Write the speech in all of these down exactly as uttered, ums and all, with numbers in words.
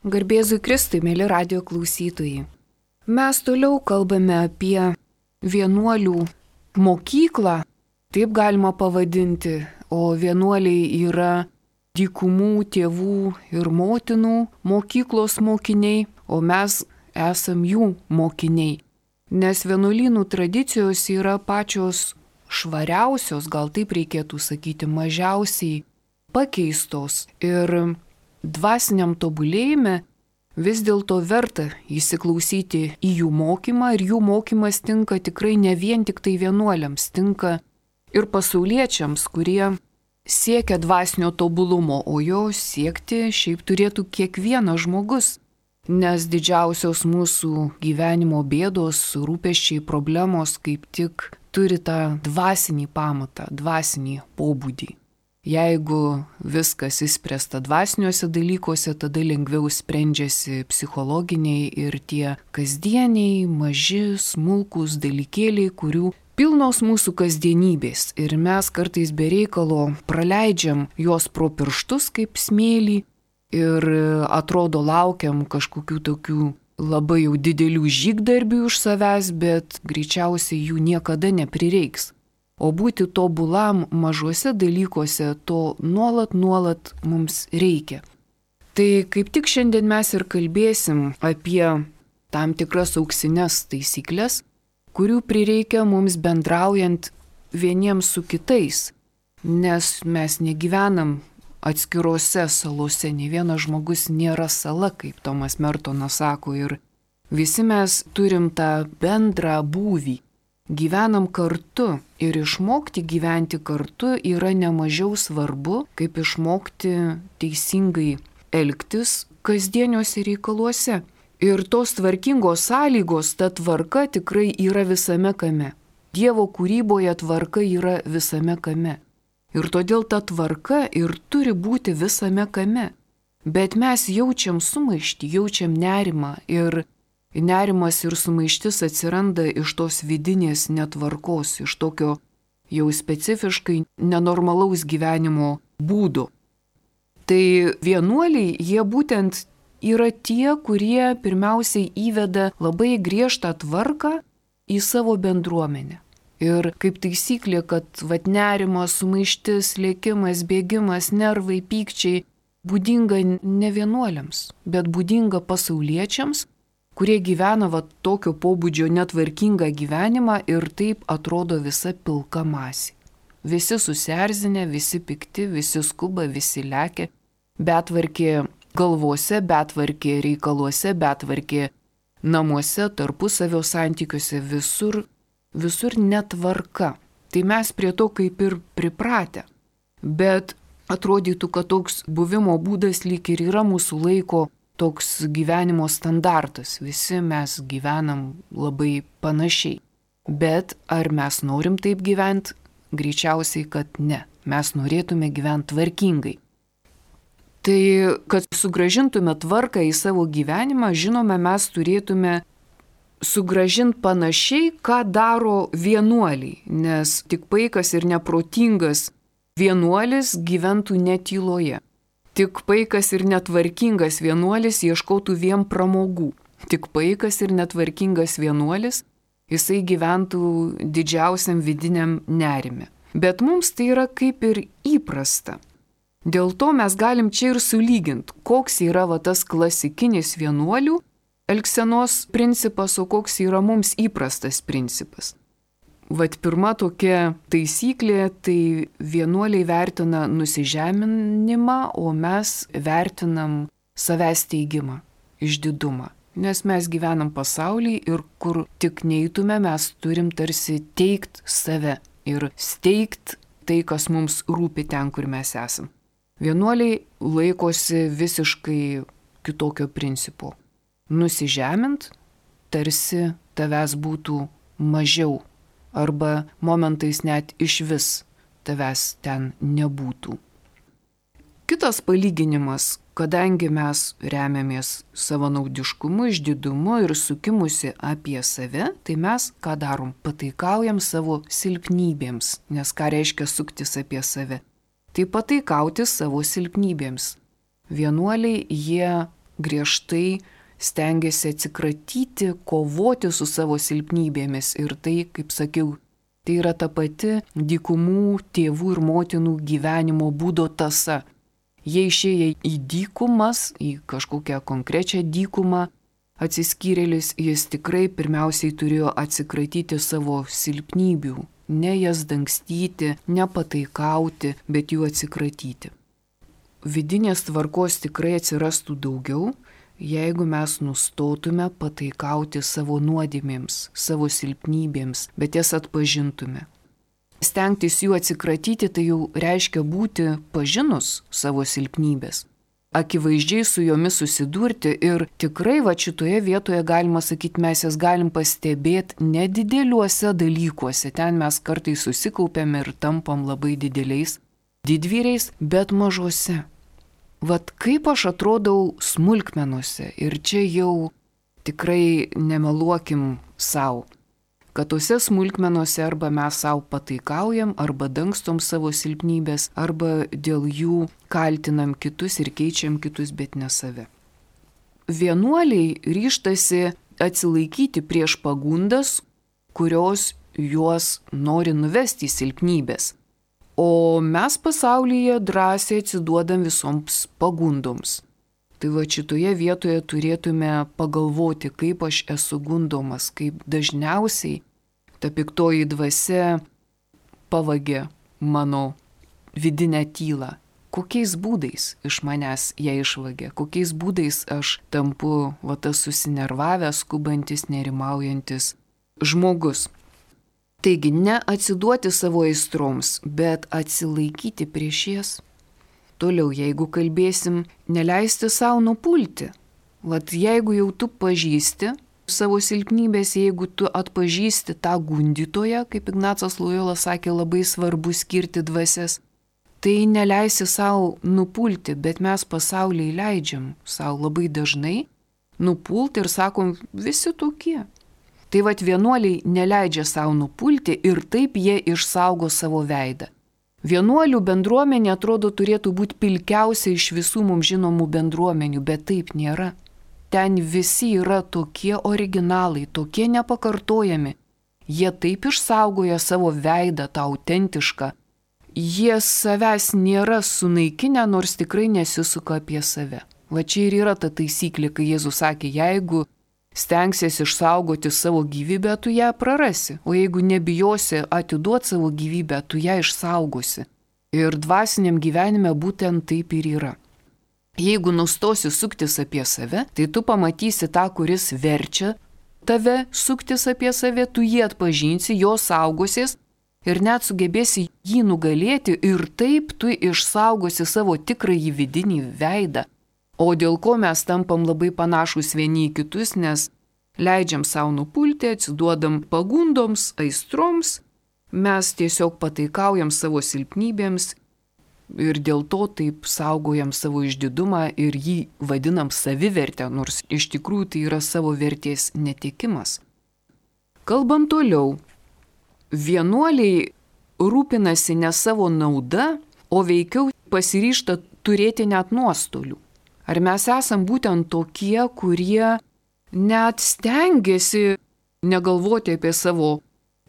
Garbėzui Kristui, mėly radio klausytojai. Mes toliau kalbame apie vienuolių mokyklą, taip galima pavadinti, o vienuoliai yra dykumų tėvų ir motinų mokyklos mokiniai, o mes esam jų mokiniai. Nes vienuolynų tradicijos yra pačios švariausios, gal taip reikėtų sakyti, mažiausiai pakeistos ir dvasiniam tobulėjime vis dėlto verta įsiklausyti į jų mokymą ir jų mokymas tinka tikrai ne vien tik tai vienuoliams, tinka ir pasauliečiams, kurie siekia dvasinio tobulumo, o jo siekti šiaip turėtų kiekvienas žmogus, nes didžiausios mūsų gyvenimo bėdos, rūpesčiai, problemos kaip tik turi tą dvasinį pamatą, dvasinį pobūdį. Jeigu viskas įspręsta dvasiniuose dalykuose, tada lengviau sprendžiasi psichologiniai ir tie kasdieniai, maži, smulkūs dalykėliai, kurių pilnos mūsų kasdienybės. Ir mes kartais be reikalo praleidžiam juos pro pirštus kaip smėlį ir atrodo laukiam kažkokių tokių labai jau didelių žygdarbių iš savęs, bet greičiausiai jų niekada neprireiks. O būti tobulam mažuose dalykuose to nuolat, nuolat mums reikia. Tai kaip tik šiandien mes ir kalbėsim apie tam tikras auksinės taisyklės, kurių prireikia mums bendraujant vieniems su kitais, nes mes negyvenam atskirose salose, ne vienas žmogus nėra sala, kaip Tomas Mertonas sako, ir visi mes turim tą bendrą būvį. Gyvenam kartu ir išmokti gyventi kartu yra nemažiau svarbu, kaip išmokti teisingai elgtis kasdieniuose reikaluose. Ir tos tvarkingos sąlygos, ta tvarka tikrai yra visame kame. Dievo kūryboje tvarka yra visame kame. Ir todėl ta tvarka ir turi būti visame kame. Bet mes jaučiam sumaištį, jaučiam nerimą ir nerimas ir sumaištis atsiranda iš tos vidinės netvarkos, iš tokio jau specifiškai nenormalaus gyvenimo būdo. Tai vienuoliai, jie būtent yra tie, kurie pirmiausiai įveda labai griežtą tvarką į savo bendruomenę. Ir kaip taisyklė, kad vat nerimas, sumaištis, lėkimas, bėgimas, nervai, pykčiai būdinga ne vienuoliams, bet būdinga pasauliečiams, kurie gyvena va tokio pobūdžio netvarkingą gyvenimą ir taip atrodo visa pilka masė. Visi susierzinę, visi pikti, visi skuba, visi lekia, betvarkė galvose, betvarkė reikaluose, betvarkė namuose, tarpusavio santykiuose, visur, visur netvarka. Tai mes prie to kaip ir pripratę. Bet atrodytų, kad toks buvimo būdas lyg ir yra mūsų laiko toks gyvenimo standartas, visi mes gyvenam labai panašiai. Bet ar mes norim taip gyventi? Greičiausiai, kad ne. Mes norėtume gyventi tvarkingai. Tai, kad sugražintume tvarką į savo gyvenimą, žinome, mes turėtume sugražinti panašiai, ką daro vienuoliai, nes tik paikas ir neprotingas vienuolis gyventų netyloje. Tik paikas ir netvarkingas vienuolis ieškotų vien pramogų. Tik paikas ir netvarkingas vienuolis, jisai gyventų didžiausiam vidiniam nerime. Bet mums tai yra kaip ir įprasta. Dėl to mes galim čia ir sulyginti, koks yra va tas klasikinis vienuolių elgsenos principas, o koks yra mums įprastas principas. Vat pirma tokia taisyklė, tai vienuoliai vertina nusižeminimą, o mes vertinam savęs teigimą, išdidumą. Nes mes gyvenam pasaulyje ir kur tik neįtume, mes turim tarsi teigt save ir steigt tai, kas mums rūpi ten, kur mes esam. Vienuoliai laikosi visiškai kitokio principo. Nusižemint, tarsi tavęs būtų mažiau. Arba momentais net iš vis tavęs ten nebūtų. Kitas palyginimas, kadangi mes remiamės savanaudiškumu, išdidumu ir sukimusi apie save, tai mes ką darom? Pataikaujam savo silpnybėms, nes ką reiškia suktis apie save? Tai pataikauti savo silpnybėms. Vienuoliai, jie griežtai stengiasi atsikratyti, kovoti su savo silpnybėmis. Ir tai, kaip sakiau, tai yra ta pati dykumų tėvų ir motinų gyvenimo būdo tąsa. Jie išėję į dykumas, į kažkokią konkrečią dykumą, atsiskyrėlis, jis tikrai pirmiausiai turėjo atsikratyti savo silpnybių, ne jas dangstyti, ne pataikauti, bet jų atsikratyti. Vidinės tvarkos tikrai atsirastų daugiau, jeigu mes nustotume pataikauti savo nuodėmėms, savo silpnybėms, bet jas atpažintume. Stengtis jų atsikratyti, tai jau reiškia būti pažinus savo silpnybės, akivaizdžiai su jomis susidurti ir tikrai va šitoje vietoje galima sakyti, mes jas galim pastebėti nedideliuose dalykuose, ten mes kartais susikaupiam ir tampam labai dideliais didvyriais, bet mažose. Vat kaip aš atrodau smulkmenuose ir čia jau tikrai nemeluokim savo, kad tose smulkmenuose arba mes savo pataikaujam, arba dangstom savo silpnybės, arba dėl jų kaltinam kitus ir keičiam kitus, bet ne save. Vienuoliai ryžtasi atsilaikyti prieš pagundas, kurios juos nori nuvesti į silpnybės. O mes pasaulyje drąsiai atsiduodam visoms pagundoms. Tai va šitoje vietoje turėtume pagalvoti, kaip aš esu gundomas, kaip dažniausiai ta piktoji dvasia pavagia mano vidinę tylą. Kokiais būdais iš manęs ją išvagia, kokiais būdais aš tampu va tas susinervavęs, skubantis, nerimaujantis žmogus. Taigi, ne atsiduoti savo aistroms, bet atsilaikyti prieš jas. Toliau, jeigu kalbėsim, neleisti savo nupulti. Vat jeigu jau tu pažįsti savo silpnybės, jeigu tu atpažįsti tą gundytoją, kaip Ignacas Lojola sakė, labai svarbu skirti dvasias, tai neleisi savo nupulti, bet mes pasaulyje leidžiam savo labai dažnai nupulti ir sakom, visi tokie. Tai vat vienuoliai neleidžia savo nupulti ir taip jie išsaugo savo veidą. Vienuolių bendruomenė atrodo turėtų būti pilkiausia iš visų mums žinomų bendruomenių, bet taip nėra. Ten visi yra tokie originalai, tokie nepakartojami. Jie taip išsaugoja savo veidą, tą autentišką. Jie savęs nėra sunaikinę, nors tikrai nesisuka apie save. Va čia ir yra ta taisyklė, kai Jėzus sakė, jeigu stengsies išsaugoti savo gyvybę, tu ją prarasi, o jeigu nebijosi atiduoti savo gyvybę, tu ją išsaugosi. Ir dvasiniam gyvenime būtent taip ir yra. Jeigu nustosi suktis apie save, tai tu pamatysi tą, kuris verčia tave suktis apie save, tu jį atpažinsi, jo saugosies ir net sugebėsi jį nugalėti ir taip tu išsaugosi savo tikrąjį vidinį veidą. O dėl ko mes tampam labai panašus vieni į kitus, nes leidžiam savo nupulti, atsiduodam pagundoms, aistroms, mes tiesiog pataikaujam savo silpnybėms ir dėl to taip saugojam savo išdidumą ir jį vadinam savivertę, nors iš tikrųjų tai yra savo vertės netekimas. Kalbam toliau. Vienuoliai rūpinasi ne savo nauda, o veikiau pasiryžta turėti net nuostolių. Ar mes esam būtent tokie, kurie net stengiasi negalvoti apie savo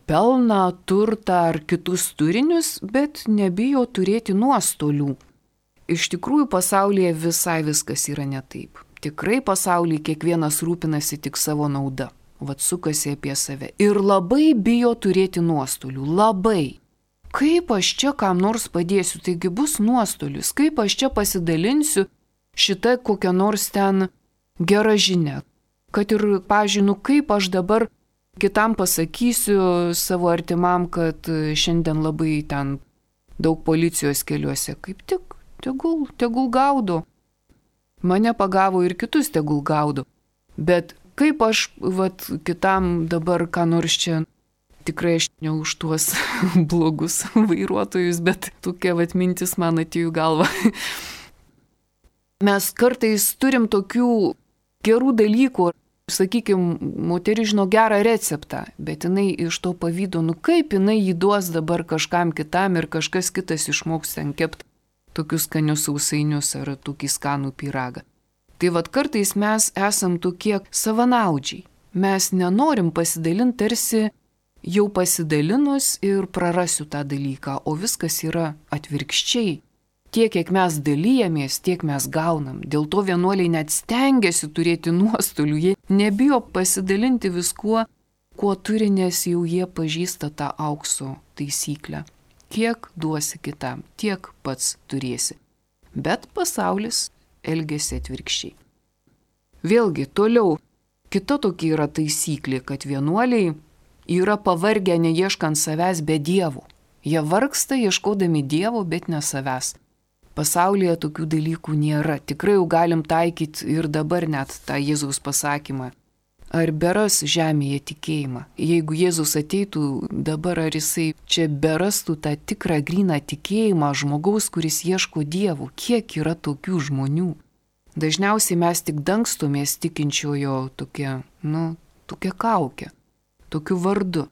pelną, turtą ar kitus turinius, bet nebijo turėti nuostolių? Iš tikrųjų pasaulyje visai viskas yra ne taip. Tikrai pasaulyje kiekvienas rūpinasi tik savo nauda, vat sukasi apie save. Ir labai bijo turėti nuostolių, labai. Kaip aš čia kam nors padėsiu, taigi bus nuostolius, kaip aš čia pasidalinsiu šita kokia nors ten gera žinia. Kad ir, pavyzdžiui, nu kaip aš dabar kitam pasakysiu savo artimam, kad šiandien labai ten daug policijos keliuose. Kaip tik, tegul, tegul gaudo. Mane pagavo ir kitus tegul gaudo. Bet kaip aš vat, kitam dabar ką nors čia, tikrai aš ne už tuos blogus vairuotojus, bet tokia vat mintis man atėjo galva. Mes kartais turim tokių gerų dalykų, sakykime, moteris žino gerą receptą, bet jinai iš to pavydo, nu kaip jinai jį duos dabar kažkam kitam ir kažkas kitas išmoks ten kepti tokius skanius sausainius ar tokį skanų pyragą. Tai vad kartais mes esam tokie savanaudžiai. Mes nenorim pasidalinti tarsi jau pasidalinus ir prarasiu tą dalyką, o viskas yra atvirkščiai. Tiek, kiek mes dalyjamės, tiek mes gaunam. Dėl to vienuoliai net stengiasi turėti nuostolių. Jie nebijo pasidalinti viskuo, kuo turi, nes jau jie pažįsta tą aukso taisyklę. Kiek duosi kitam, tiek pats turėsi. Bet pasaulis elgiasi atvirkščiai. Vėlgi, toliau, kita tokia yra taisyklė, kad vienuoliai yra pavargę neieškant savęs be dievų. Jie vargsta ieškodami dievo, bet ne savęs. Pasaulyje tokių dalykų nėra. Tikrai jau galim taikyti ir dabar net tą Jėzaus pasakymą. Ar beras žemėje tikėjimą? Jeigu Jėzus ateitų dabar, ar jisai čia berastų tą tikrą gryną tikėjimą žmogaus, kuris ieško dievų? Kiek yra tokių žmonių? Dažniausiai mes tik dangstomės tikinčiojo tokia, nu, tokia kaukė, tokiu vardu.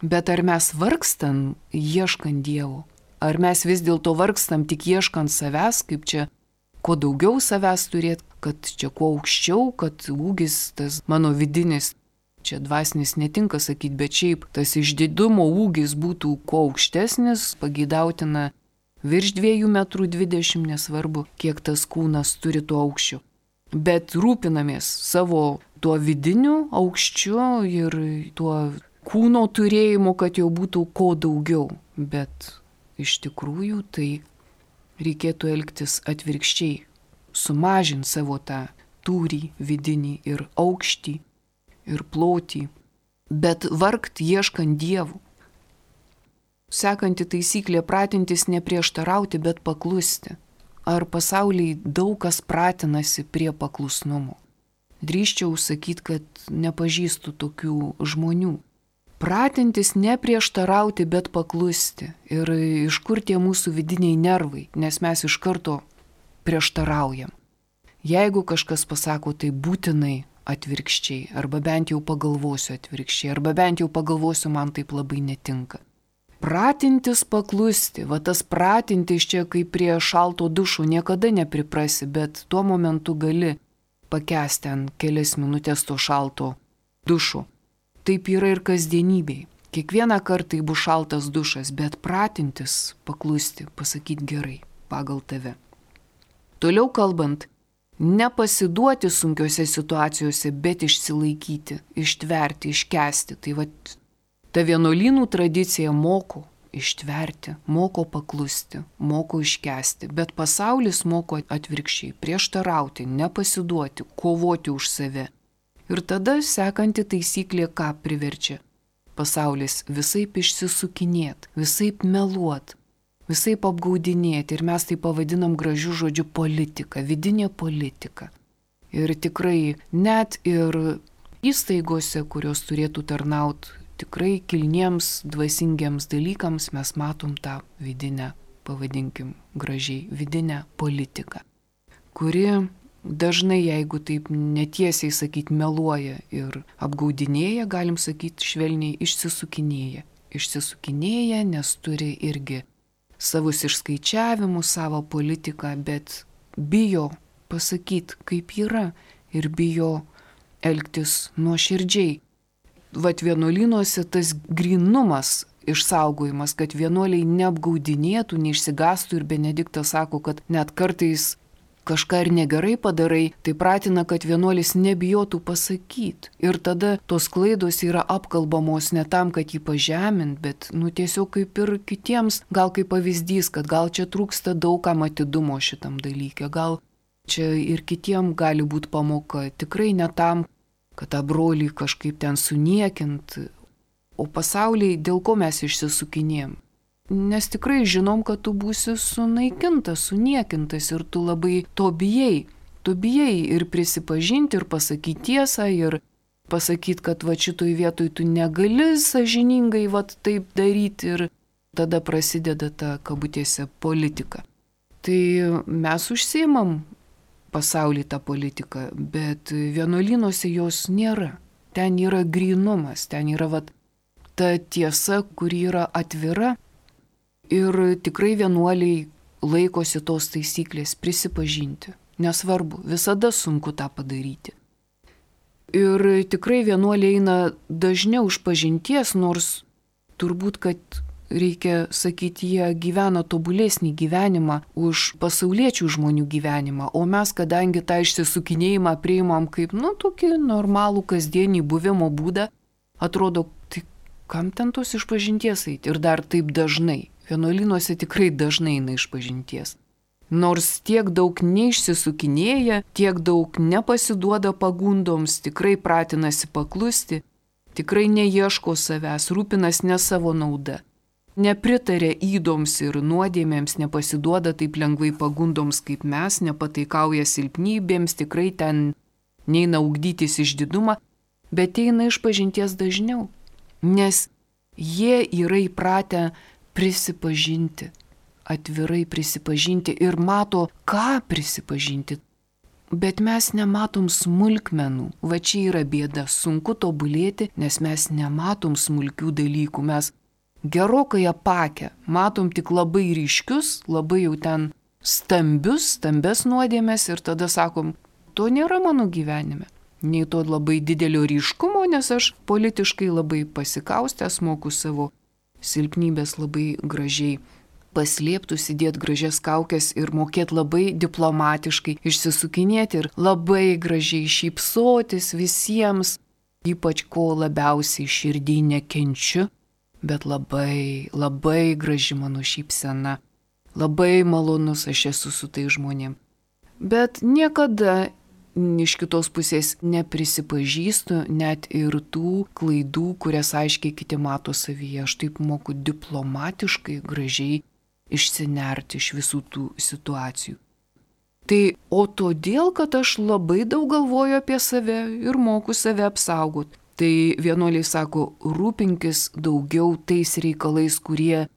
Bet ar mes vargstam ieškant dievo? Ar mes vis dėlto vargstam tik ieškant savęs, kaip čia kuo daugiau savęs turėti, kad čia kuo aukščiau, kad ūgis tas mano vidinis, čia dvasinis netinka sakyti, bet šiaip tas išdidumo ūgis būtų kuo aukštesnis, pageidautina virš dviejų metrų dvidešimt, nesvarbu, kiek tas kūnas turi tuo aukščiu. Bet rūpinamės savo tuo vidiniu aukščiu ir tuo kūno turėjimu, kad jau būtų kuo daugiau, bet iš tikrųjų tai reikėtų elgtis atvirkščiai, sumažinti savo tą tūrį vidinį ir aukštį ir plotį, bet vargt ieškant dievų. Sekanti taisyklė pratintis neprieštarauti, bet paklusti. Ar pasaulyje daug kas pratinasi prie paklusnumo? Drįsčiau sakyti, kad nepažįstu tokių žmonių. Pratintis neprieštarauti, bet paklusti. Ir iš kur tie mūsų vidiniai nervai, nes mes iš karto prieštaraujam. Jeigu kažkas pasako, tai būtinai atvirkščiai, arba bent jau pagalvosiu atvirkščiai, arba bent jau pagalvosiu, man taip labai netinka. Pratintis paklusti, va tas pratintis čia kaip prie šalto dušo niekada nepriprasi, bet tuo momentu gali pakęsti ant kelias minutės to šalto dušo. Taip yra ir kasdienybėj. Kiekvieną kartą bus šaltas dušas, bet pratintis paklusti, pasakyti gerai, pagal tave. Toliau kalbant, nepasiduoti sunkiose situacijose, bet išsilaikyti, ištverti, iškęsti. Tai va, ta vienuolynų tradicija moko ištverti, moko paklusti, moko iškęsti, bet pasaulis moko atvirkščiai, prieštarauti, nepasiduoti, kovoti už save. Ir tada sekanti taisyklė ką priverčia? Pasaulis visaip išsisukinėt, visaip meluot, visaip apgaudinėti ir mes tai pavadinam gražiu žodžiu politika, vidinė politika. Ir tikrai net ir įstaigose, kurios turėtų tarnauti tikrai kilniems, dvasingiams dalykams, mes matom tą vidinę, pavadinkim gražiai, vidinę politiką, kuri dažnai, jeigu taip netiesiai sakyti, meluoja ir apgaudinėja, galim sakyti švelniai, išsisukinėja. Išsisukinėja, nes turi irgi savus išskaičiavimus, savo politiką, bet bijo pasakyti, kaip yra ir bijo elgtis nuoširdžiai. Vat vienuolynuose tas grynumas išsaugojimas, kad vienuoliai neapgaudinėtų, neišsigastų ir Benediktas sako, kad net kartais kažką ir negerai padarai, tai pratina, kad vienuolis nebijotų pasakyti. Ir tada tos klaidos yra apkalbamos ne tam, kad jį pažemint, bet nu, tiesiog kaip ir kitiems, gal kaip pavyzdys, kad gal čia trūksta daugam atidumo šitam dalykė, gal čia ir kitiem gali būti pamoka, tikrai ne tam, kad tą brolį kažkaip ten suniekint, o pasauliai dėl ko mes išsisukinėjom. Nes tikrai žinom, kad tu būsi sunaikintas, suniekintas ir tu labai to bijai. Tu bijai ir prisipažinti, ir pasakyti tiesą, ir pasakyti, kad va šitoj vietoj tu negali sąžiningai va taip daryti ir tada prasideda ta kabutėse politika. Tai mes užsiimam pasaulį tą politiką, bet vienuolynuose jos nėra. Ten yra grynumas, ten yra va ta tiesa, kuri yra atvira. Ir tikrai vienuoliai laikosi tos taisyklės prisipažinti. Nesvarbu, visada sunku tą padaryti. Ir tikrai vienuoliai eina dažniau iš pažinties, nors turbūt, kad reikia sakyti, jie gyvena tobulesnį gyvenimą už pasauliečių žmonių gyvenimą, o mes, kadangi tą išsisukinėjimą priimam kaip, nu, tokį normalų kasdienį buvimo būdą, atrodo, tai kam ten tos išpažinties eiti ir dar taip dažnai. Vienuolynuose tikrai dažnai eina išpažinties. Nors tiek daug neišsisukinėja, tiek daug nepasiduoda pagundoms, tikrai pratinasi paklusti, tikrai neieško savęs, rūpinas ne savo nauda. Nepritarė įdoms ir nuodėmėms, nepasiduoda taip lengvai pagundoms kaip mes, nepataikauja silpnybėms, tikrai ten neina ugdytis išdidumą, bet eina išpažinties dažniau, nes jie yra įpratę prisipažinti, atvirai prisipažinti ir mato, ką prisipažinti. Bet mes nematom smulkmenų, va čia yra bėda, sunku tobulėti, nes mes nematom smulkių dalykų, mes gerokai apakę, matom tik labai ryškius, labai jau ten stambius, stambes nuodėmės ir tada sakom, to nėra mano gyvenime. Nei to labai didelio ryškumo, nes aš politiškai labai pasikaustęs, moku savo silpnybės labai gražiai paslėptų, sėdėti gražias kaukės ir mokėti labai diplomatiškai išsisukinėti ir labai gražiai šypsotis visiems, ypač ko labiausiai širdį nekenčiu. Bet labai, labai graži mano šypsena, labai malonus aš esu su tai žmonėm. Bet niekada iš kitos pusės neprisipažįstu net ir tų klaidų, kurias aiškiai kiti mato savyje. Aš taip moku diplomatiškai, gražiai išsinerti iš visų tų situacijų. Tai o todėl, kad aš labai daug galvoju apie save ir moku save apsaugoti. Tai vienuoliai sako, rūpinkis daugiau tais reikalais, kurie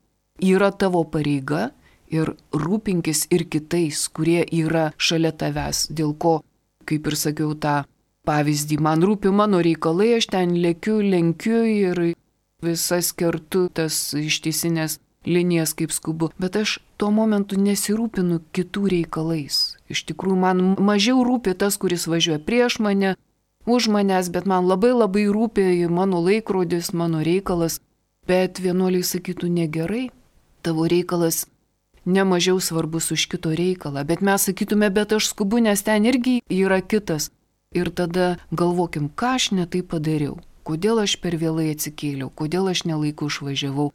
yra tavo pareiga ir rūpinkis ir kitais, kurie yra šalia tavęs. Dėl ko, kaip ir sakiau tą pavyzdį, man rūpi mano reikalai, aš ten lėkiu, lenkiu ir visas kertu tas ištisinės linijas kaip skubu. Bet aš tuo momentu nesirūpinu kitų reikalais. Iš tikrųjų, man mažiau rūpi tas, kuris važiuoja prieš mane, už manęs, bet man labai labai rūpi mano laikrodis, mano reikalas. Bet vienuoliai sakytų, negerai, tavo reikalas nemažiau svarbus už kito reikalą. Bet mes sakytume, bet aš skubu, nes ten irgi yra kitas. Ir tada galvokim, ką aš ne taip padariau, kodėl aš per vėlai atsikėliau, kodėl aš nelaiku išvažiavau.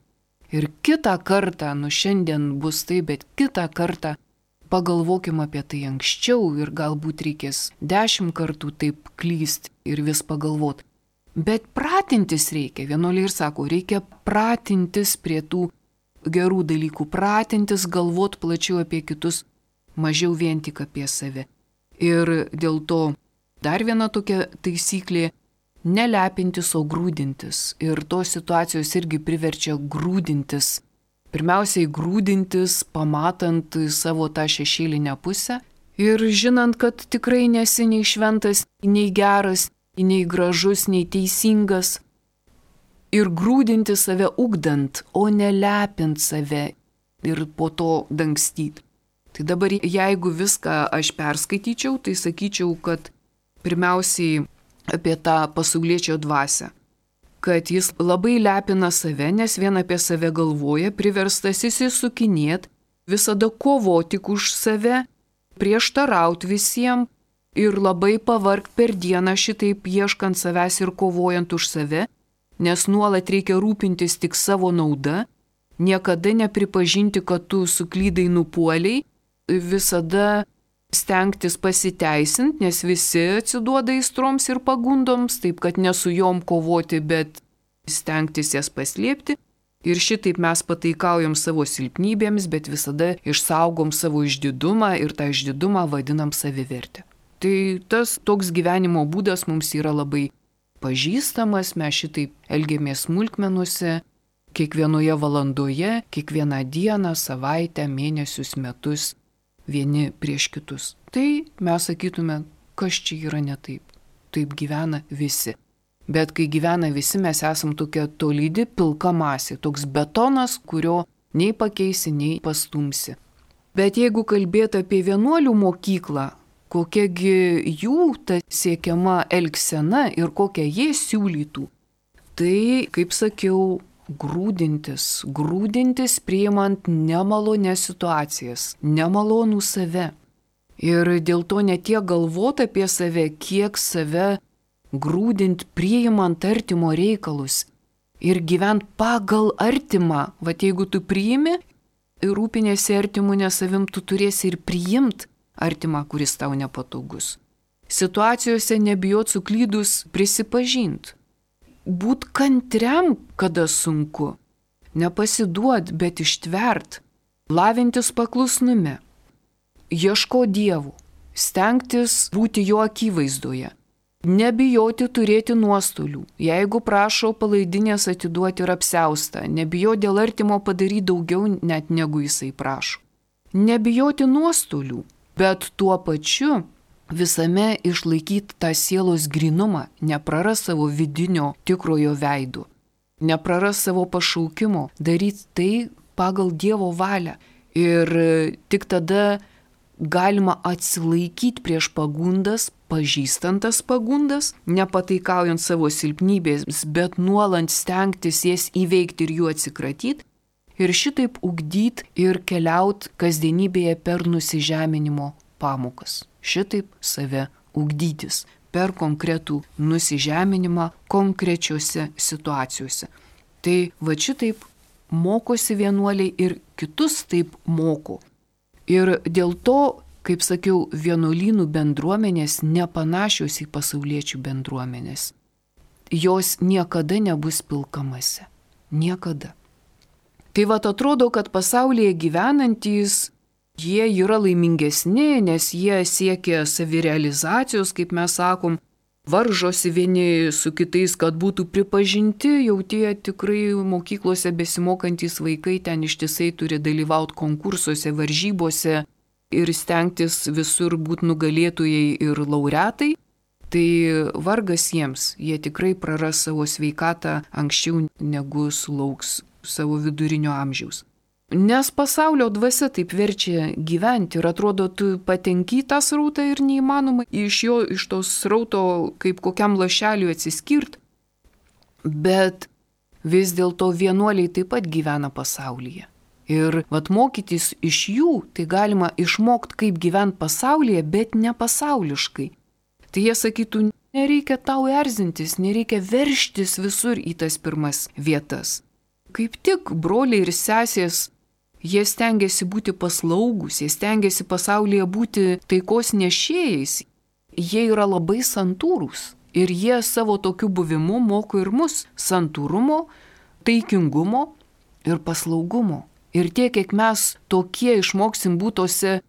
Ir kitą kartą, nu šiandien bus tai, bet kitą kartą pagalvokim apie tai anksčiau ir galbūt reikės dešimt kartų taip klysti ir vis pagalvot. Bet pratintis reikia, vienuoliai ir sako, reikia pratintis prie tų gerų dalykų, pratintis galvot plačiau apie kitus, mažiau vien tik apie save. Ir dėl to dar viena tokia taisyklė - nelepintis, o grūdintis. Ir tos situacijos irgi priverčia grūdintis. Pirmiausiai grūdintis, pamatant savo tą šešėlinę pusę ir žinant, kad tikrai nesi nei šventas, nei geras, nei gražus, nei teisingas. Ir grūdinti save ugdant, o nelepint save ir po to dangstyti. Tai dabar jeigu viską aš perskaityčiau, tai sakyčiau, kad pirmiausiai apie tą pasauliečio dvasią. Kad jis labai lepina save, nes vien apie save galvoja, priverstas įsisukinėt, visada kovoti už save, prieštarauti visiems ir labai pavargt per dieną šitaip ieškant savęs ir kovojant už save, nes nuolat reikia rūpintis tik savo nauda, niekada nepripažinti, kad tu suklydai nupuoliai, visada stengtis pasiteisinti, nes visi atsiduoda įstroms ir pagundoms, taip kad ne su jom kovoti, bet stengtis jas paslėpti. Ir šitaip mes pataikaujam savo silpnybėms, bet visada išsaugom savo išdidumą ir tą išdidumą vadinam savivertę. Tai tas toks gyvenimo būdas mums yra labai pažįstamas, mes šitaip elgiamės smulkmenuose, kiekvienoje valandoje, kiekvieną dieną, savaitę, mėnesius, metus, vieni prieš kitus. Tai mes sakytume, kas čia yra ne taip. Taip gyvena visi. Bet kai gyvena visi, mes esam tokia tolydi pilka masė, toks betonas, kurio nei pakeisi, nei pastumsi. Bet jeigu kalbėti apie vienuolių mokyklą, kokiagi jų ta siekiama elgsena ir kokią jie siūlytų. Tai, kaip sakiau, grūdintis, grūdintis priimant nemalonės situacijas, nemalonų save. Ir dėl to ne tiek galvoti apie save, kiek save grūdint priimant artimo reikalus ir gyvent pagal artimą. Vat jeigu tu priimi ir rūpinėsi artimu ne savim, tu turėsi ir priimt artimą, kuris tau nepatogus. Situacijose nebijot suklydus prisipažint. Būt kantriam, kada sunku. Nepasiduot, bet ištvert. Lavintis paklusnume. Ieško Dievų. Stengtis būti jo akivaizdoje. Nebijoti turėti nuostolių. Jeigu prašo palaidinės atiduoti ir apsiaustą. Nebijoti dėl artimo padaryti daugiau net negu jisai prašo. Nebijoti nuostolių, bet tuo pačiu visame išlaikyti tą sielos grynumą, nepraras savo vidinio tikrojo veido, nepraras savo pašaukimo, daryti tai pagal Dievo valią. Ir tik tada galima atsilaikyti prieš pagundas, pažįstant tas pagundas, nepataikaujant savo silpnybės, bet nuolant stengtis jas įveikti ir jų atsikratyti. Ir šitaip ugdyti ir keliauti kasdienybėje per nusižeminimo pamokas. Šitaip save ugdytis per konkretų nusižeminimą konkrečiose situacijose. Tai va šitaip mokosi vienuoliai ir kitus taip moko. Ir dėl to, kaip sakiau, vienuolynų bendruomenės nepanašios į pasauliečių bendruomenės. Jos niekada nebus pilkamasi. Niekada. Tai vat atrodo, kad pasaulyje gyvenantys jie yra laimingesni, nes jie siekia savirealizacijos, kaip mes sakom, varžosi vieni su kitais, kad būtų pripažinti, jau tie tikrai mokyklose besimokantys vaikai ten ištisai turi dalyvauti konkursuose, varžybose ir stengtis visur būti nugalėtojai ir laureatai. Tai vargas jiems, jie tikrai praras savo sveikatą anksčiau negu sulauks savo vidurinio amžiaus. Nes pasaulio dvasia taip verčia gyventi ir atrodo, tu patenki tą srautą ir neįmanoma iš jo, iš tos srauto kaip kokiam lašeliui atsiskirti. Bet vis dėlto vienuoliai taip pat gyvena pasaulyje. Ir vat mokytis iš jų, tai galima išmokti, kaip gyventi pasaulyje, bet ne pasauliškai. Tai jie sakytų, nereikia tau erzintis, nereikia verštis visur į tas pirmas vietas. Kaip tik broliai ir sesės, jie stengiasi būti paslaugus, jie stengiasi pasaulyje būti taikos nešėjais. Jie yra labai santūrūs ir jie savo tokiu buvimu moko ir mus santūrumo, taikingumo ir paslaugumo. Ir tiek, kiek mes tokie išmoksim būtose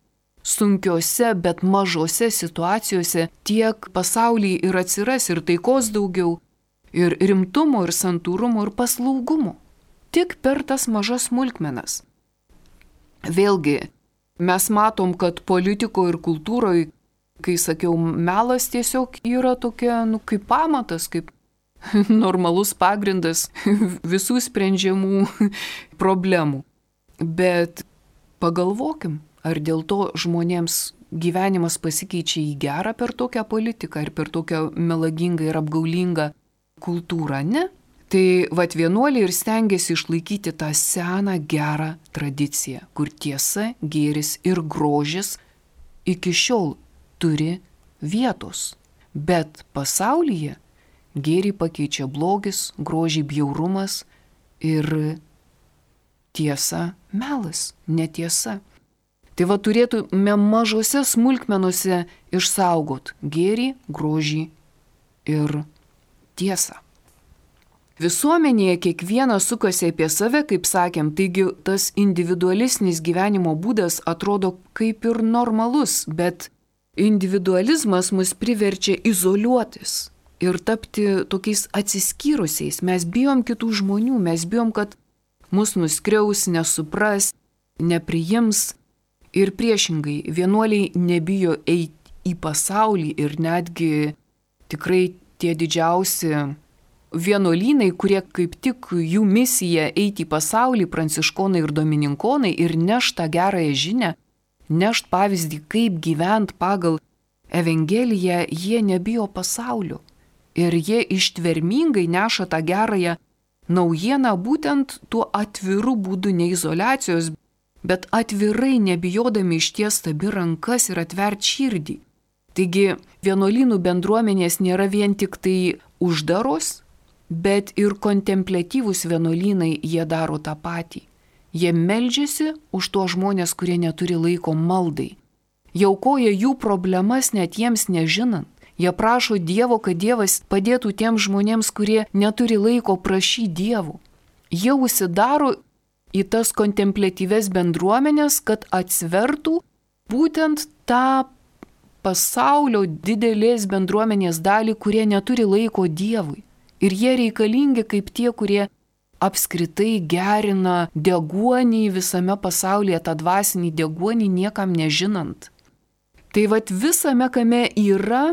sunkiose, bet mažose situacijose, tiek pasaulyje ir atsiras ir taikos daugiau, ir rimtumo, ir santūrumo, ir paslaugumo. Tik per tas mažas smulkmenas. Vėlgi, mes matom, kad politikoje ir kultūroje, kai sakiau, melas tiesiog yra tokia, nu, kaip pamatas, kaip normalus pagrindas visų sprendžiamų problemų. Bet pagalvokim, ar dėl to žmonėms gyvenimas pasikeičia į gerą per tokią politiką ir per tokią melagingą ir apgaulingą kultūrą, ne? Tai vat vienuoliai ir stengiasi išlaikyti tą seną gerą tradiciją, kur tiesa, gėris ir grožis iki šiol turi vietos. Bet pasaulyje gėrį pakeičia blogis, grožį bjaurumas ir tiesa melas, netiesa. Tai va turėtume mažose smulkmenuose išsaugot gėrį, grožį ir tiesą. Visuomenėje kiekvienas sukasi apie save, kaip sakėm, taigi tas individualistinis gyvenimo būdas atrodo kaip ir normalus, bet individualizmas mus priverčia izoliuotis ir tapti tokiais atsiskyrusiais. Mes bijom kitų žmonių, mes bijom, kad mus nuskriaus, nesupras, nepriims. Ir priešingai, vienuoliai nebijo eiti į pasaulį ir netgi tikrai tie didžiausi vienuolynai, kurie kaip tik jų misija eiti į pasaulį, pranciškonai ir domininkonai ir nešt tą gerąją žinią, nešt pavyzdį, kaip gyventi pagal Evangeliją, jie nebijo pasaulio. Ir jie ištvermingai neša tą gerąją naujieną būtent tuo atviru būdu, ne izoliacijos, bet atvirai nebijodami išties abi rankas ir atvert širdį. Taigi vienuolynų bendruomenės nėra vien tik tai uždaros, bet ir kontempliatyvūs vienuolynai jie daro tą patį. Jie meldžiasi už tuos žmonės, kurie neturi laiko maldai. Jie aukoja jų problemas net jiems nežinant. Jie prašo Dievo, kad Dievas padėtų tiems žmonėms, kurie neturi laiko prašyti Dievų. Jie užsidaro į tas kontempliatyves bendruomenės, kad atsvertų būtent tą pasaulio didelės bendruomenės dalį, kurie neturi laiko Dievui. Ir jie reikalingi kaip tie, kurie apskritai gerina deguonį visame pasaulyje, tą dvasinį deguonį niekam nežinant. Tai vat visame kame yra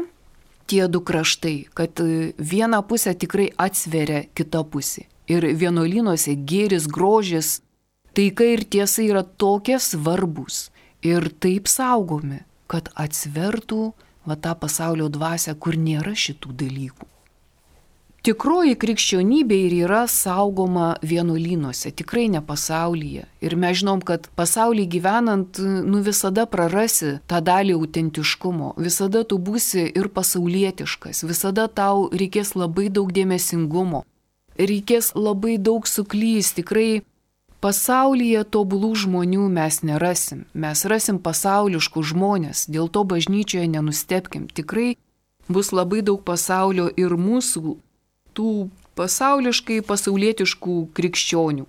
tie du kraštai, kad viena pusė tikrai atsveria kitą pusę. Ir vienuolynuose gėris, grožis, taika ir tiesa yra tokie svarbus ir taip saugomi, kad atsvertų va tą pasaulio dvasią, kur nėra šitų dalykų. Tikroji krikščionybė ir yra saugoma vienuolynuose, tikrai ne pasaulyje. Ir mes žinom, kad pasaulyje gyvenant, nu visada prarasi tą dalį autentiškumo, visada tu būsi ir pasaulietiškas, visada tau reikės labai daug dėmesingumo, reikės labai daug suklys, tikrai pasaulyje tobulų žmonių mes nerasim, mes rasim pasauliškų žmonės, dėl to bažnyčioje nenustebkim, tikrai bus labai daug pasaulio ir mūsų tų pasauliškai pasaulietiškų krikščionių.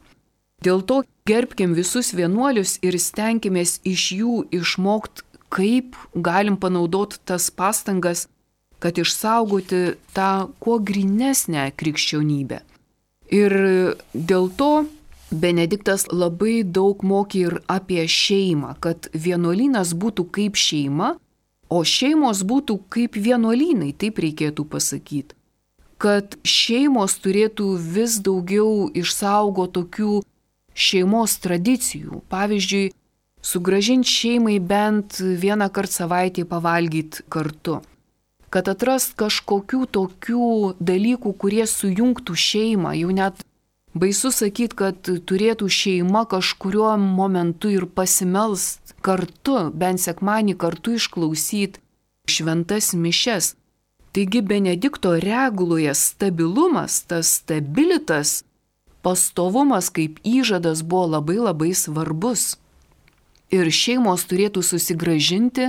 Dėl to gerbkim visus vienuolius ir stenkimės iš jų išmokti, kaip galim panaudoti tas pastangas, kad išsaugoti tą kuo grynesnę krikščionybę. Ir dėl to Benediktas labai daug mokė ir apie šeimą, kad vienuolynas būtų kaip šeima, o šeimos būtų kaip vienuolynai, taip reikėtų pasakyti. Kad šeimos turėtų vis daugiau išsaugo tokių šeimos tradicijų. Pavyzdžiui, sugrąžinti šeimai bent vieną kartą savaitėje pavalgyti kartu. Kad atrast kažkokių tokių dalykų, kurie sujungtų šeimą. Jau net baisu sakyti, kad turėtų šeima kažkuriuo momentu ir pasimelst kartu, bent sekmanį kartu išklausyti šventas mišias. Taigi Benedikto reguloje stabilumas, tas stabilitas, pastovumas kaip įžadas buvo labai labai svarbus. Ir šeimos turėtų susigrąžinti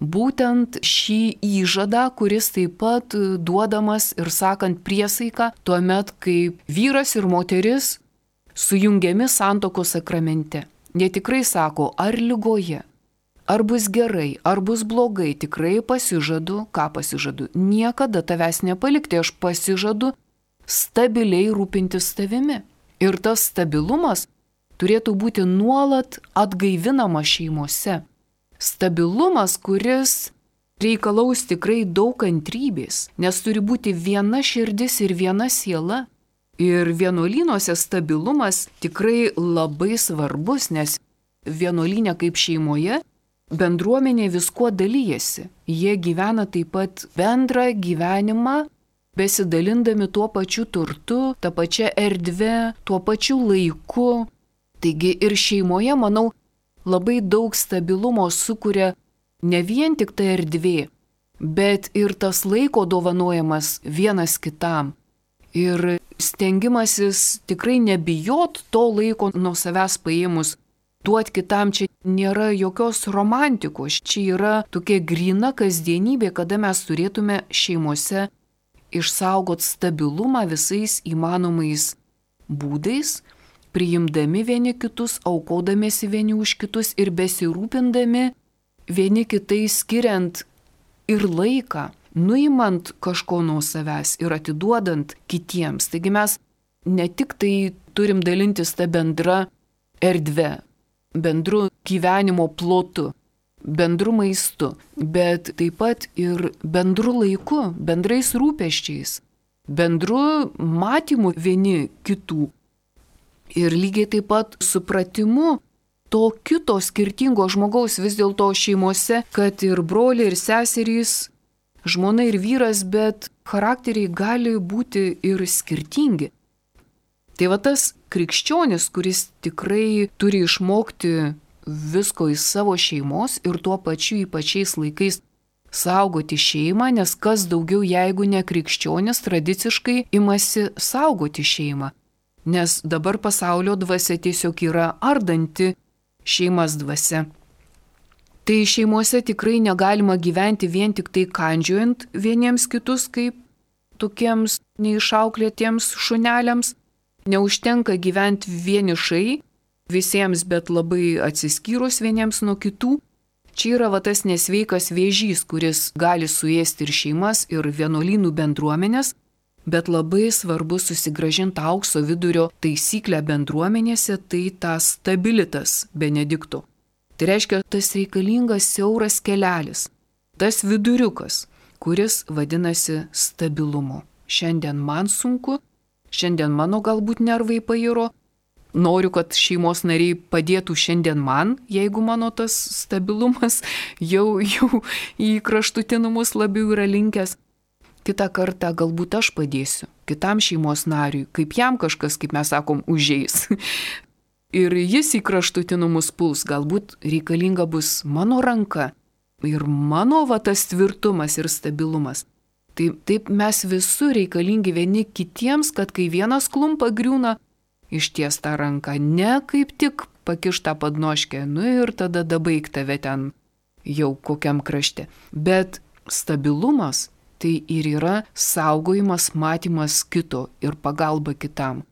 būtent šį įžadą, kuris taip pat duodamas ir sakant priesaiką, tuomet, kai vyras ir moteris sujungiami santuokos sakramente. Jie tikrai sako, ar ligoje, ar bus gerai, ar bus blogai, tikrai pasižadu, ką pasižadu. Niekada tavęs nepalikti, aš pasižadu stabiliai rūpintis tavimi. Ir tas stabilumas turėtų būti nuolat atgaivinamas šeimose. Stabilumas, kuris reikalaus tikrai daug kantrybės, nes turi būti viena širdis ir viena siela. Ir vienuolynuose stabilumas tikrai labai svarbus, nes vienuolynė kaip šeimoje bendruomenė viskuo dalyjasi. Jie gyvena taip pat bendrą gyvenimą, besidalindami tuo pačiu turtu, tą pačią erdvę, tuo pačiu laiku. Taigi ir šeimoje, manau, labai daug stabilumo sukuria ne vien tik ta erdvė, bet ir tas laiko dovanojamas vienas kitam. Ir stengimasis tikrai nebijot to laiko nuo savęs paėmus, duot kitam. Čia nėra jokios romantikos, čia yra tokia gryna kasdienybė, kada mes turėtume šeimose išsaugot stabilumą visais įmanomais būdais, priimdami vieni kitus, aukodamėsi vieni už kitus ir besirūpindami vieni kitais, skiriant ir laiką, nuimant kažko nuo savęs ir atiduodant kitiems. Taigi mes ne tik tai turim dalintis tą bendrą erdvę, bendru gyvenimo plotu, bendru maistu, bet taip pat ir bendru laiku, bendrais rūpesčiais, bendru matymu vieni kitų. Ir lygiai taip pat supratimu to kito skirtingo žmogaus vis dėlto šeimose, kad ir broliai, ir seserys, žmona ir vyras, bet charakteriai gali būti ir skirtingi. Tai va tas krikščionis, kuris tikrai turi išmokti visko iš savo šeimos ir tuo pačiu ypačiais laikais saugoti šeimą, nes kas daugiau, jeigu ne krikščionis, tradiciškai imasi saugoti šeimą. Nes dabar pasaulio dvasia tiesiog yra ardanti šeimas dvasia. Tai šeimose tikrai negalima gyventi vien tik tai kandžiuojant vieniems kitus kaip tokiems neišauklėtiems šuneliams. Neužtenka gyventi vienišai visiems, bet labai atsiskyrus vieniems nuo kitų. Čia yra va tas nesveikas vėžys, kuris gali suėsti ir šeimas, ir vienuolynų bendruomenės, bet labai svarbu susigrąžinti aukso vidurio taisyklę bendruomenėse, tai tas stabilitas Benedikto. Tai reiškia tas reikalingas siauras kelelis, tas viduriukas, kuris vadinasi stabilumu. Šiandien man sunku, šiandien mano galbūt nervai pairo, noriu, kad šeimos nariai padėtų šiandien man, jeigu mano tas stabilumas jau, jau į kraštutinumus labiau yra linkęs. Kitą kartą galbūt aš padėsiu kitam šeimos nariui, kaip jam kažkas, kaip mes sakom, užeis. Ir jis į kraštutinumus puls, galbūt reikalinga bus mano ranka ir mano va tas tvirtumas ir stabilumas. Taip, taip mes visur reikalingi vieni kitiems, kad kai vienas klumpa griūna, išties tą ranką, ne kaip tik pakištą padnoškę, nu ir tada dabaig tave ten jau kokiam krašte. Bet stabilumas tai ir yra saugojimas, matymas kito ir pagalba kitam.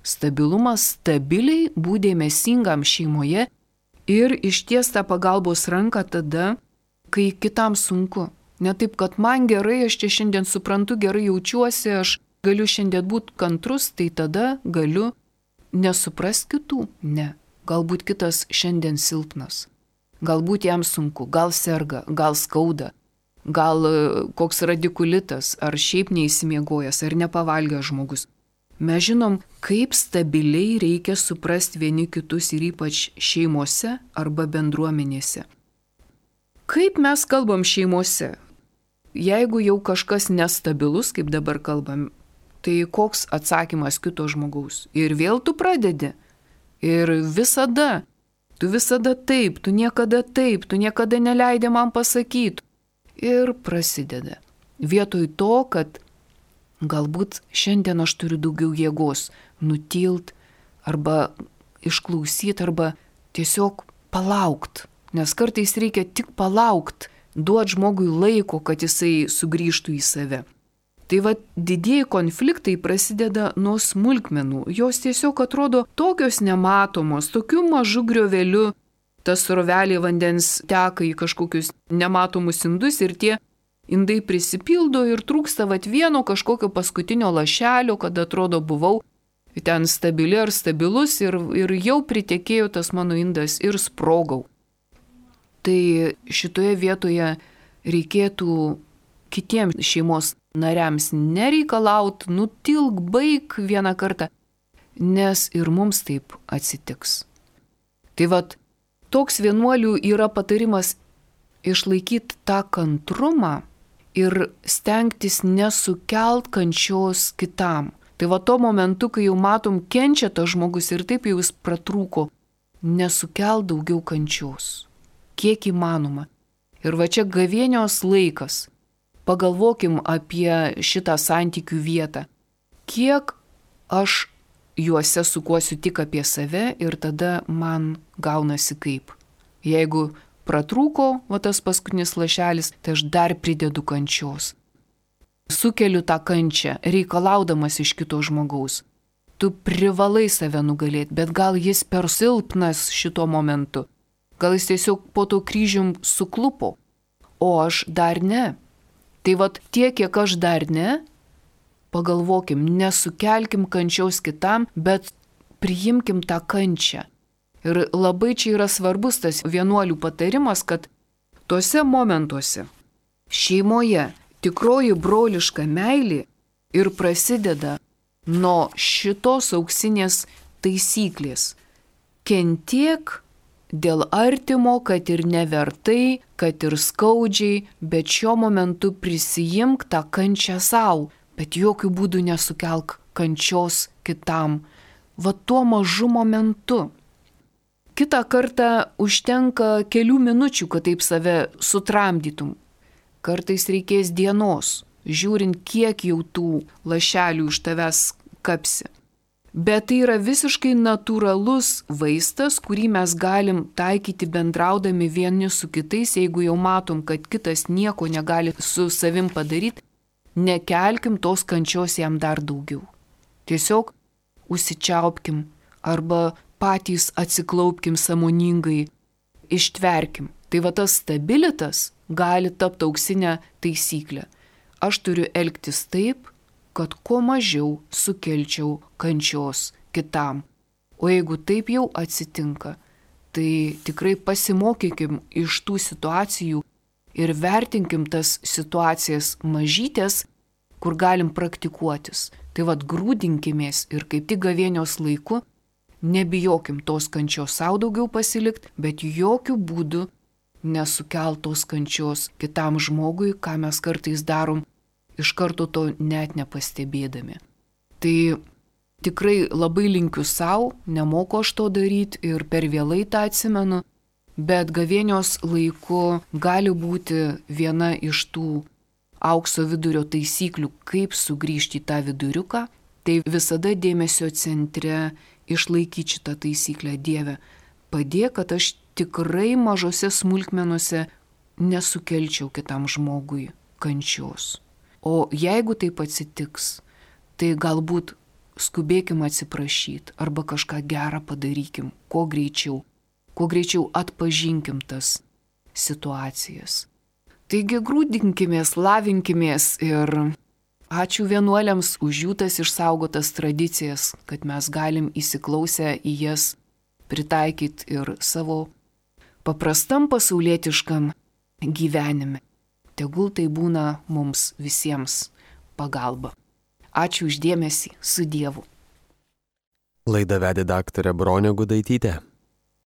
Stabilumas stabiliai būti dėmesingam šeimoje ir išties tą pagalbos ranką tada, kai kitam sunku. Ne taip, kad man gerai, aš čia šiandien suprantu, gerai jaučiuosi, aš galiu šiandien būti kantrus, tai tada galiu nesuprast kitų. Ne, galbūt kitas šiandien silpnas. Galbūt jam sunku, gal serga, gal skauda, gal koks radikulitas, ar šiaip neįsimiegojęs, ar nepavalgęs žmogus. Mes žinom, kaip stabiliai reikia suprasti vieni kitus ir ypač šeimose arba bendruomenėse. Kaip mes kalbam šeimose? Jeigu jau kažkas nestabilus, kaip dabar kalbam, tai koks atsakymas kito žmogaus? Ir vėl tu pradedi. Ir visada, tu visada taip, tu niekada taip, tu niekada neleidai man pasakyti. Ir prasideda. Vietoj to, kad galbūt šiandien aš turiu daugiau jėgos nutilt arba išklausyti arba tiesiog palaukt. Nes kartais reikia tik palaukt, duoti žmogui laiko, kad jisai sugrįžtų į save. Tai va didieji konfliktai prasideda nuo smulkmenų. Jos tiesiog atrodo tokios nematomos, tokiu mažu grioveliu. Tas srovelė vandens teka į kažkokius nematomus indus ir tie indai prisipildo ir trūksta vat vieno kažkokio paskutinio lašelio, kad atrodo buvau ten stabili ar stabilus ir, ir jau pritekėjo tas mano indas ir sprogau. Tai šitoje vietoje reikėtų kitiems šeimos nariams nereikalaut, nutilk, baig vieną kartą, nes ir mums taip atsitiks. Tai vat toks vienuolių yra patarimas išlaikyti tą kantrumą ir stengtis nesukelt kančios kitam. Tai va tuo momentu, kai jau matom, kenčia tas žmogus ir taip jau jis pratrūko, nesukelt daugiau kančios. Kiek įmanoma. Ir va čia gavėnios laikas. Pagalvokim apie šitą santykių vietą. Kiek aš juose sukuosiu tik apie save ir tada man gaunasi kaip. Jeigu pratrūko, va tas paskutinis lašelis, tai aš dar pridedu kančios. Sukeliu tą kančią, reikalaudamas iš kito žmogaus. Tu privalai save nugalėti, bet gal jis per silpnas šito momentu. Gal jis tiesiog po to kryžium suklupo, o aš dar ne. Tai vat tiek, kiek aš dar ne, pagalvokim, nesukelkim kančiaus kitam, bet priimkim tą kančią. Ir labai čia yra svarbus tas vienuolių patarimas, kad tuose momentuose šeimoje tikroji broliška meilė ir prasideda nuo šitos auksinės taisyklės. Kentiek dėl artimo, kad ir nevertai, kad ir skaudžiai, bet šiuo momentu prisijimk tą kančią savo, bet jokių būdų nesukelk kančios kitam. Va tuo mažu momentu. Kitą kartą užtenka kelių minučių, kad taip save sutramdytum. Kartais reikės dienos, žiūrint, kiek jau tų lašelių iš tavęs kapsi. Bet tai yra visiškai natūralus vaistas, kurį mes galim taikyti bendraudami vieni su kitais, jeigu jau matom, kad kitas nieko negali su savim padaryti, nekelkim tos kančios jam dar daugiau. Tiesiog užsičiaupkim arba patys atsiklaupkim sąmoningai, ištverkim. Tai va tas stabilitas gali tapti auksinę taisyklę. Aš turiu elgtis taip, kad kuo mažiau sukelčiau kančios kitam. O jeigu taip jau atsitinka, tai tikrai pasimokykim iš tų situacijų ir vertinkim tas situacijas mažytės, kur galim praktikuotis. Tai vad grūdinkimės ir kaip tik gavėnios laiku nebijokim tos kančios savo daugiau pasilikti, bet jokių būdų nesukeltos kančios kitam žmogui, ką mes kartais darom, iš karto to net nepastebėdami. Tai tikrai labai linkiu savo, nemoku aš to daryti ir per vėlai tą atsimenu, bet gavėnios laiku gali būti viena iš tų aukso vidurio taisyklių, kaip sugrįžti į tą viduriuką, tai visada dėmesio centre išlaikyti šitą taisyklę. Dieve, padėk, kad aš tikrai mažose smulkmenuose nesukelčiau kitam žmogui kančios. O jeigu taip atsitiks, tai galbūt skubėkim atsiprašyti arba kažką gerą padarykim, kuo greičiau, kuo greičiau atpažinkim tas situacijas. Taigi grūdinkimės, lavinkimės ir ačiū vienuoliams už jų tas išsaugotas tradicijas, kad mes galim įsiklausę į jas pritaikyti ir savo paprastam pasaulietiškam gyvenime. Tegul tai būna mums visiems pagalba. Ačiū už dėmesį, su Dievu. Laidą vedė daktarė Bronė Gudaitytė.